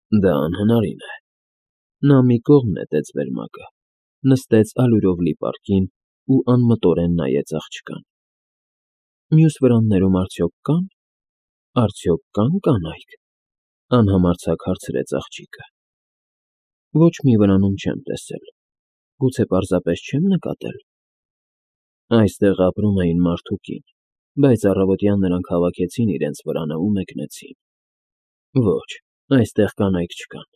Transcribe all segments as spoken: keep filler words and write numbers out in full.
Դա անհնարին է։ Նա մի կողմ նետեց վերմակը, նստեց ալյուրով լի պարկին ու անմտորեն նայեց աղջկան։ Մյուս վրաններում արդյոք կա՞ն, արդյոք կա՞ն կանայք,֊ անհամարձակ հարցրեց աղջիկը։ Ոչ մի վրանում չեմ տեսել, գուցե պարզապես չեմ նկատել։ Այստեղ ապրում էին մարդ ու կին, բայց առավոտյան նրանք հավաքեցին իրենց վրանը ու մեկնեցին։ Ոչ, այստեղ կանայք չկան,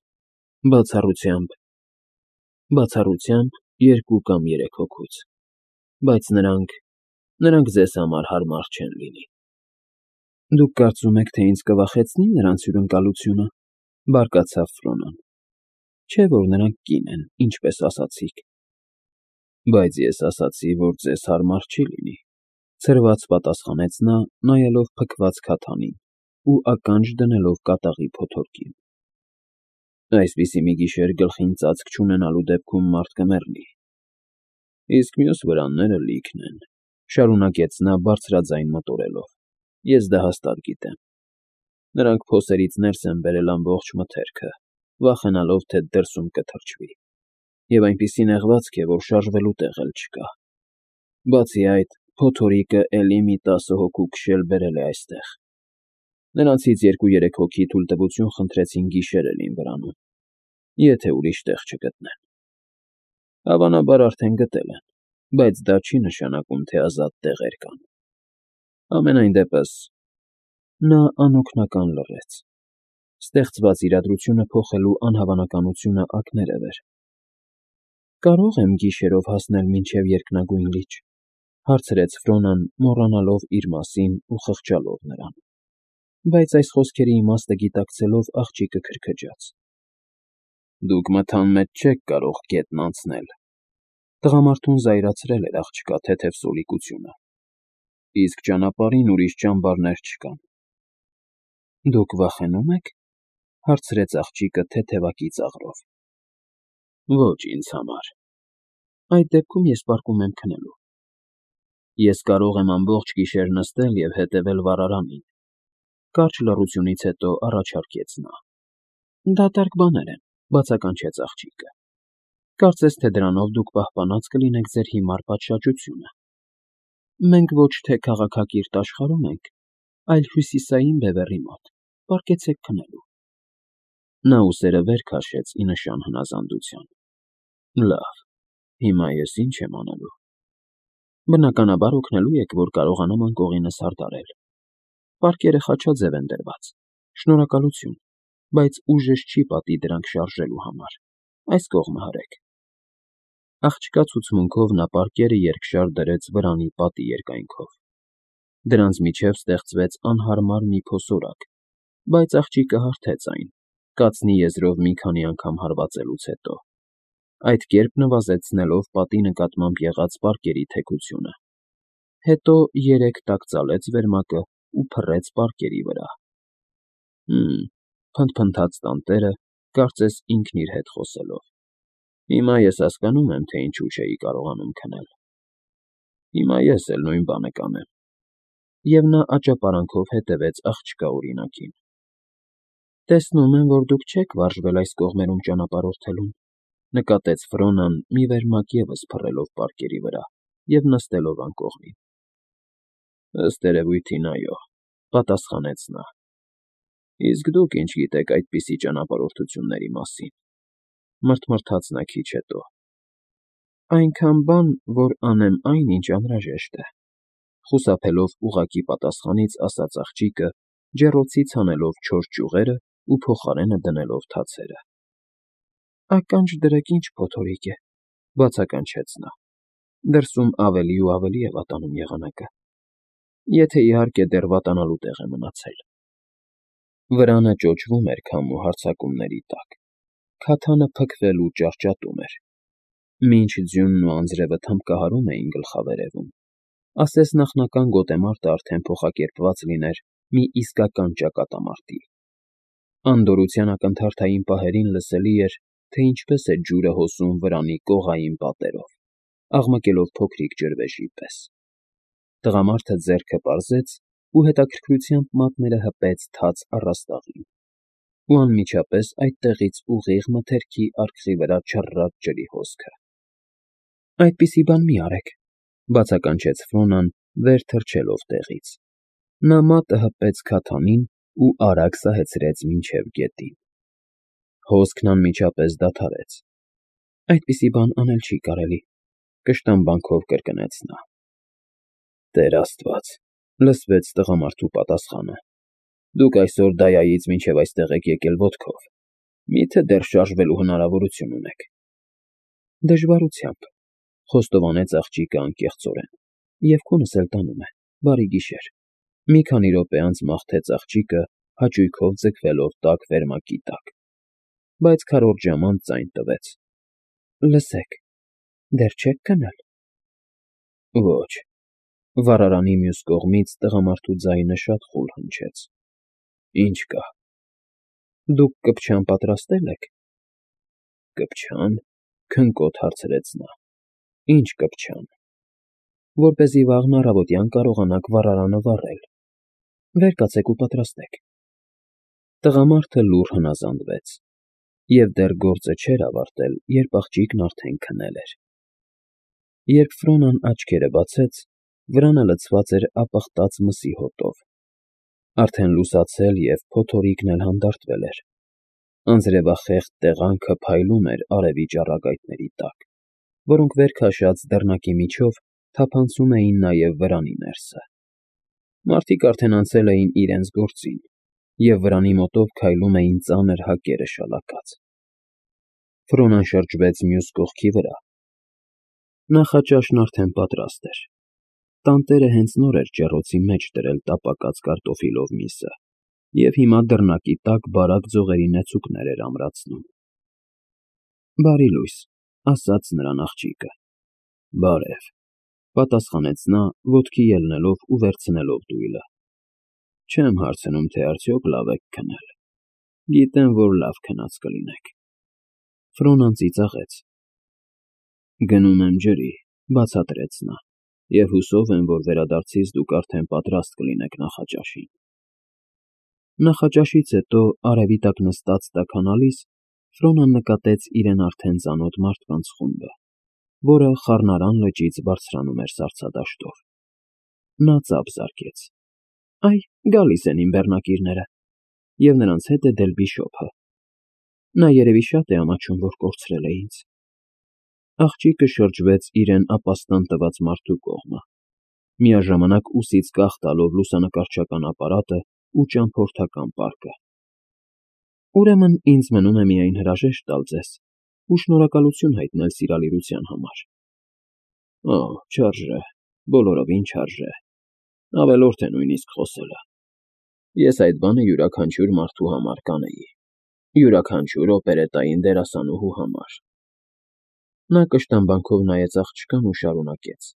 բացառությամբ… բացառությամբ երկու կամ երեք հոգուց, բայց նրանք… նրանք ձեզ համար հարմար չեն լինի։ Դուք կարծում եք, թե ինձ կվախեցնի նրանց հյուրընկալությունը,֊ բարկացավ Ֆրոնան։ Չէ՞ որ նրանք կին են, ինչպես ասացիք։ Բայց ես ասացի, որ ձեզ հարմար չի լինի,֊ ցրված պատասխանեց նա, նայելով փքված քաթանին ու ականջ դնելով կատաղի փոթորկին։ Այսպիսի մի գիշեր գլխին ծածկ չունենալու դեպքում մարդ կմեռնի։ Իսկ մյուս վրանները լիքն են,֊ շարունակեց նա բարձրաձայն մտորելով,֊ ես դա հաստատ գիտեմ։ Նրանք փոսերից ներս են բերել ամբողջ մթերքը, վախենալով, թե դրսում կթրջվի, և այնպիսի նեղվածք է, որ շարժվելու տեղ էլ չկա։ Բացի այդ, փոթորիկը էլի մի տասը հոգու քշել բերել է այստեղ։ Նրանցից երկու֊երեք հոգի թույլտվություն խնդրեցին գիշերել իմ վրանում, եթե ուրիշ տեղ չգտնեն։ Հավանաբար արդեն գտել են, բայց դա չի նշանակում, թե ազատ տեղեր կան։ Համենայն դեպս… Նա անօգնական լռեց։ Ստեղծված իրադրությունը փոխելու անհավանականությունը ակներև էր։ Կարո՞ղ եմ գիշերով հասնել մինչև երկնագույն լիճ,֊ հարցրեց Ֆրոնան, մոռանալով իր մասին ու խղճալով նրան։ Բայց այս խոսքերի իմաստը գիտակցելով աղջիկը քրքջաց։ Դուք մթան մեջ չեք կարող գետն անցնել,֊ տղամարդուն զայրացրել էր աղջկա թեթև սոլիկությունը,֊ իսկ ճանապարհին ուրիշ ճամբարներ չկան։ Դուք վախենո՞ւմ եք,֊ հարցրեց աղջիկը թեթևակի ծաղրով։ Ոչ ինձ համար։ Այդ դեպքում ես պառկում եմ քնելու։ Ես կարող եմ ամբողջ գիշեր նստել և հետևել վառարանին,֊ կարճ լռությունից հետո առաջարկեց նա։ Դատարկ բաներ են,֊ բացականչեց աղջիկը։ Կարծես թե դրանով դուք պահպանած կլինեք ձեր հիմար պատշաճությունը։ Մենք ոչ թե քաղաքակիրթ աշխարհում ենք, այլ հյուսիսային բևեռի մոտ, պառկեցեք քնելու։ Նա ուսերը վեր քաշեց ի նշան հնազանդության։ Լավ, հիմա ես ի՞նչ եմ անելու։ Բնականաբար օգնելու եք, որ կարողանամ անկողինս հարդարել։ Պարկերը խաչաձև են դրված, շնորհակալություն, բայց ուժս չի պատի դրանք շարժելու համար։ Այս կողմը հրեք։ Աղջկա ցուցմունքով նա պարկերը երկշար դրեց վրանի պատի երկայնքով։ Դրանց միջև ստեղծվեց անհարմար մի փոսորակ, բայց աղջիկը հարթեց այն, կացնի եզրով մի քանի անգամ հարվածելուց հետո, այդ կերպ նվազեցնելով պատի նկատմամբ եղած պարկերի թեքությունը։ Հետո երեք տակ ծալեց վերմակը ու փռեց պարկերի վրա։ Հը՜մ,֊ փնթփնթաց տանտերը, կարծես ինքն իր հետ խոսելով։ Հիմա ես հասկանում եմ, թե ինչու չէի կարողանում քնել։ Հիմա ես էլ նույն բանը կանեմ։ Եվ նա աճապարանքով հետևեց աղջկա օրինակին։ Տեսնում եմ, որ դուք չեք վարժվել այս կողմերում ճանապարհորդելուն,֊ նկատեց Ֆրոնան, մի վերմակ ևս փռելով պարկերի վրա և նստելով անկողին։ Ըստ երևույթին, այո,֊ պատասխանեց նա։ Իսկ դուք ինչ գիտեք այդպիսի ճանապարհորդությունների մասին,֊ մռթմռթաց նա քիչ հետո։ Այնքան բան, որ անեմ այն, ինչ անհրաժեշտ է,֊ խուսափելով ուղղակի պատասխանից ասաց աղջիկը, ջեռոցից հանելով չոր ճյուղերն ու փոխարենը դնելով թացերը։ Ականջ դրեք, ինչ փոթորիկ է,֊ բացականչեց նա։ Դրսում ավելի ու ավելի է վատանում եղանակը։ Եթե, իհարկե, դեռ վատանալու տեղ է մնացել։ Վրանը ճոճվում էր քամու հարձակումների տակ։ Քաթանը փքվել ու ճարճատում էր։ Մինչ ձյունն ու անձրևը թմբկահարում էին գլխավերևում, ասես նախնական գոտեմարտը արդեն փոխակերպված լիներ մի իսկական ճակատամարտի։ Անդորրության ակնթարթային պահերին լսելի էր, թե ինչպես է ջուրը հոսում վրանի կողային պատերով, աղմկելով փոքրիկ ջրվեժի պես։ Տղամարդը ձեռքը պարզեց ու հետաքրքրությամբ մատները հպեց թաց առաստաղին։ ու անմիջապես այդտեղից ուղիղ մթերքի արկղի վրա չռռաց ջրի հոսքը։ «Այդպիսի բան մի արեք», բացականչեց Ֆրոնան, վեր թռչելով տեղից։ Նա մատը հպեց քաթանին ու արագ սահեցրեց մինչև գետին։ Հոսքն անմիջապես դադարեց։ «Այդպիսի բան անել չի կարելի», կշտամբանքով կրկնեց նա։ «Տեր Աստված», լսվեց տղամարդու պատասխանը։ «Դուք այսօր Դայայից մինչև այստեղ եք եկել ոտքով, մի՞թե դեռ շարժվելու հնարավորություն ունեք»։ «Դժվարությամբ», խոստովանեց աղջիկը անկեղծորեն, և քունս էլ տանում է, բարի գիշեր։ Մի քանի րոպե անց մաղթեց աղջիկը, հաճույքով ձգվելով տաք վերմակի տակ, բայց քառորդ ժամ անց ձայն տվեց։ «Լսեք, դեռ չե՞ք քնել»։ «Ոչ»։ Վառարանի մյուս կողմից տղամարդու ձայնը շատ խուլ հնչեց։ «Ինչ կա»։ «Դուք կպչան պատրաստե՞լ եք»։ «Կպչա՞ն», քնկոտ հարցրեց նա։ «Ինչ կպչան»։ «Որպեսզի վաղն առավոտյան կարողանաք վառարանը վառել»։ «Վեր կացեք ու պատրաստեք»։ Տղամարդը լուռ հնազանդվեց, և դեռ գործը չէր ավարտել, երբ աղջիկն արդեն քնել էր։ Երբ Ֆրոնան աչքերը բացեց, վրանը լցված էր ապխտած մսի հոտով։ Արդեն լուսացել և փոթորիկն էլ հանդարտվել էր։ Անձրևախեղդ տեղանքը փայլում էր արևի ճառագայթների տակ, որոնք վեր քաշած դռնակի միջով թափանցում էին նաև վրանի ներսը։ Մարդիկ արդեն անցել էին իրենց գործին, և վրանի մոտով քայլում էին ծանր հակերը շալակած։ Ֆրոնան շրջվեց մյուս կողքի վրա։ Նախաճաշն արդեն պատրաստ էր։ Տանտերը հենց նոր էր ջեռոցի մեջ դրել տապակած կարտոֆիլով միսը, և հիմա դռնակի տակ բարակ ձողերի նեցուկներ էր ամրացնում։ «Բարի լույս», ասաց նրան աղջիկը։ «Բարև», պատասխանեց նա, ոտքի ելնելով ու վերցնելով դույլը։ «Չեմ հարցնում, թե արդյոք լավ եք քնել։ Գիտեմ, որ լավ քնած կլինեք»։ Ֆրոնան ծիծաղեց։ «Գնում եմ ջրի», բացատրեց նա, «և հուսով եմ, որ վերադարձիս դուք արդեն պատրաստ կլինեք նախաճաշին»։ Նախաճաշից հետո, արևի տակ նստած տաքանալիս, Ֆրոնան նկատեց իրեն արդեն ծանոթ մարդկանց խումբը, որը խառնարան լճից բարձրանում էր սառցադաշտով։ Նա ծափ զարկեց։ «Այ, գալիս են իմ բեռնակիրները», և նրանց հետ է Դելբիշոփը։ Նա երևի շատ է ամաչում, որ կորցրել է ինձ։ Աղջիկը շրջվեց իրեն ապաստան տված մարդու կողմը, միաժամանակ ուսից կախ տալով լուսանկարչական ապարատը ու ճամփորդական պարկը։ «Ուրեմն ինձ մնում է միայն հրաժեշտ տալ ձեզ ու շնորհակալություն հայտնել սիրալիրության համար»։ «Օ, չարժե, բոլորովին չարժե, ավելորդ է նույնիսկ խոսելը։ Ես այդ բանը յուրաքանչյուր մարդու համար կանեի, յուրաքանչյուր օպերետային դերասանուհու համար»։ Նա կշտամբանքով նայեց աղջկան ու շարունակեց.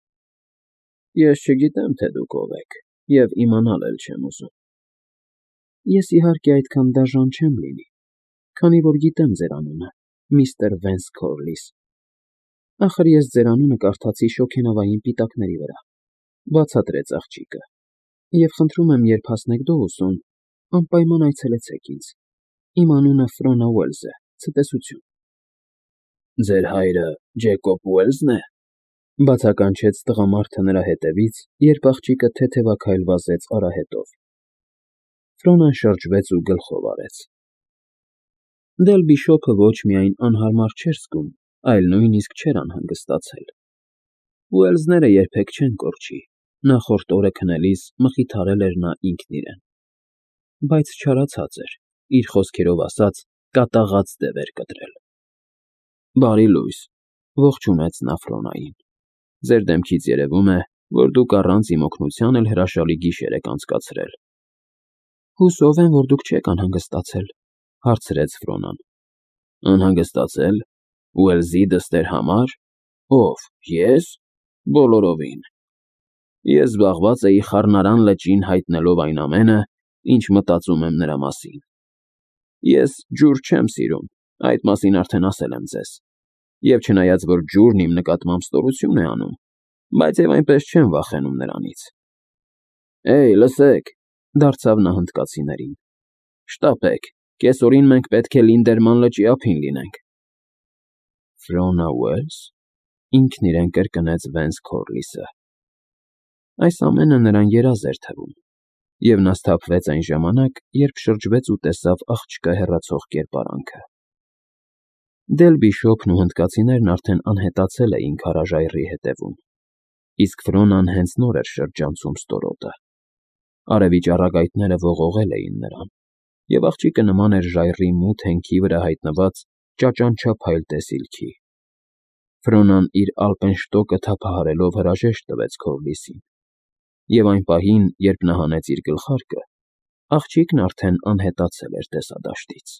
«Ես չգիտեմ, թե դուք ով եք, և իմանալ էլ չեմ ուզում»։ «Ես, իհարկե, այդքան դաժան չեմ լինի, քանի որ գիտեմ ձեր անունը, միստր Վենս Քորլիս։ Ախր ես ձեր անունը կարդացի շոգենավային պիտակների վրա», բացատրեց աղջիկը, «և խնդրում եմ, երբ հասնեք Դոուսոն, անպայման այցելեցեք ինձ։ Իմ անունը Ֆրոնա Ուելզ է, ցտեսություն»։ «Ձեր հայրը Ջեկոբ Ուելզն է», բացականչեց տղամարդը նրա հետևից, երբ աղջիկը թեթևաքայլ վազեց արահետով։ Ֆրոնան շրջվեց ու գլխով արեց։ Դելբիշոփը ոչ միայն անհարմար չէր զգում, այլ նույնիսկ չէր անհանգստացել։ Ուելզները երբեք չեն կորչի, նախորդ օրը քնելիս մխիթարել էր նա ինքն իրեն։ Բայց չարացած էր, իր խոսքերով ասած, կատաղած դև էր կտրել։ «Բարի լույս», ողջունեց նա Ֆրոնային։ «Ձեր դեմքից երևում է, որ դուք առանց իմ օգնության էլ հրաշալի գիշեր եք անցկացրել»։ «Հուսով եմ, որ դուք չեք անհանգստացել», հարցրեց Ֆրոնան։ «Անհանգստացել։ Ուելզի դստեր համար։ Ո՞վ, ես։ Բոլորովին։ Ես զբաղված էի խառնարան լճին հայտնելով այն ամենը, ինչ մտածում եմ նրա մասին։ Ես ջուր չեմ սիրում, այդ մասին արդեն ասել եմ ձեզ, և չնայած որ ջուրն իմ նկատմամբ ստորություն է անում, բայց և այնպես չեմ վախենում նրանից»։ «Էյ, լսեք», դարձավ նա հնդկացիներին, «շտապեք, Կեսօրին մենք պետք է Լինդերման լճի ափին լինենք։ Ֆիոնա Ուելս,֊ ինքն իրեն կրկնեց Վենս Քորլիսը։ Այս ամենը նրան երազ էր թվում, և նա սթափվեց այն ժամանակ, երբ շրջվեց ու տեսավ աղջկա հեռացող կերպարանքը։ Դել Բիշոպն ու հնդկացիներն արդեն անհետացել էին քարաժայռի ետևում, իսկ Ֆիոնան հենց նոր էր շրջանցում ստորոտը։ Արևի ճառագայթները ողողել էին նրան, և աղջիկը նման էր ժայռի մութ հենքի վրա հայտնված ճաճանչափայլ տեսիլքի։ Ֆիոնան իր ալպենշտոկը թափահարելով հրաժեշտ տվեց Քորլիսին, և այն պահին, երբ նա հանեց իր գլխարկը, աղջիկն արդեն անհետացել էր տեսադաշտից։